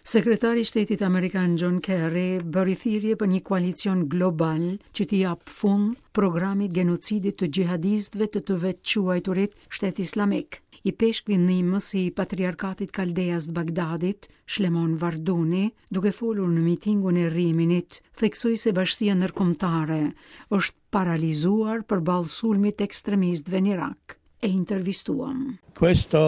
Sekretari i Shtetit Amerikan John Kerry bëri thirrje për një koalicion global që t'i japë fund programit gjenocidit të xhihadistëve të të vetëquajturit Shtet Islamik. Ipeshkvi ndihmës i Patriarkatit Kaldeas të Bagdadit, Shlemon Varduni, duke folur në mitingun e Riminit, theksoi se bashkësia ndërkombëtare është paralizuar përballë sulmit të ekstremistëve në Irak. E intervistuam. Questo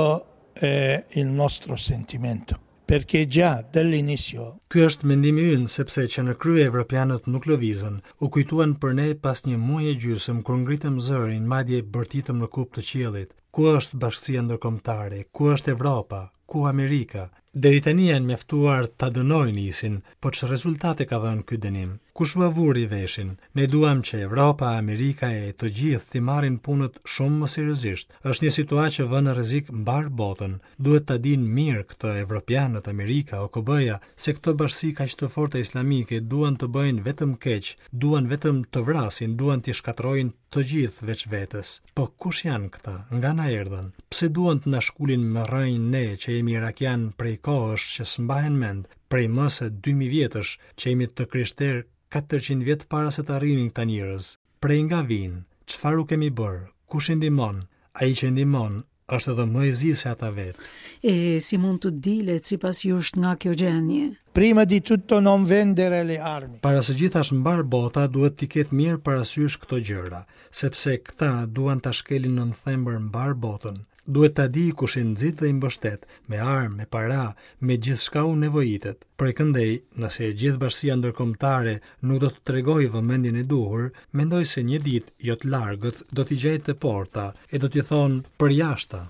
è il nostro sentimento, perché già dall'inizio Ky është mendimi ynë, sepse që në krye evropianët nuk lëvizën, u kujtuan për ne pas një muaj e gjysmë kur ngritëm zërin, madje bërtitëm në kupë të qiellit. Ku është bashkësia ndërkombëtare? Ku është Evropa? Ku Amerika? Deri tani janë mjaftuar ta dënojnë ISIN, po ç'rezultate ka dhënë ky dënim? Kush ua vuri veshin? Ne duam që Evropa, Amerika e të gjithë t'i marrin punët shumë më seriozisht. Është një situatë që vë në rrezik mbarë botën. Duhet ta dinë mirë këtë evropianët, Amerika, OKB-ja, se këto bashkësi kaq të forta islamike duan të bëjnë vetëm keq, duan vetëm të vrasin, duan t'i shkatërrojnë Të gjithë veç vetes. Po kush janë këta? Nga na erdhën? Pse duan të na shkulin me rrënjë ne që jemi irakianë prej kohësh që s'mbahen mend, prej më se 2000 vjetësh, që jemi të krishterë 400 vjet para se të arrinin këta njerëz? Prej nga vijnë? Çfarë u kemi bërë? Kush i ndihmon? Ai që i ndihmon është edhe më i zi se ata vetë. E si mund të dilet sipas jush nga kjo gjendje? Prima di tutto non vendere le armi. Para së gjithash mbarë bota duhet t'i ketë mirë parasysh këto gjëra, sepse këta duan ta shkelin nën thembër mbarë botën. Duhet ta dijë kush i nxit dhe i mbështet, me armë, me para, me gjithçka u nevojitet. Prej këndej, nëse e gjithë bashkësia ndërkombëtare nuk do të tregojë vëmendjen e duhur, mendoj se një ditë jo të largët do t'i gjejë te porta e do t'i thonë përjashta.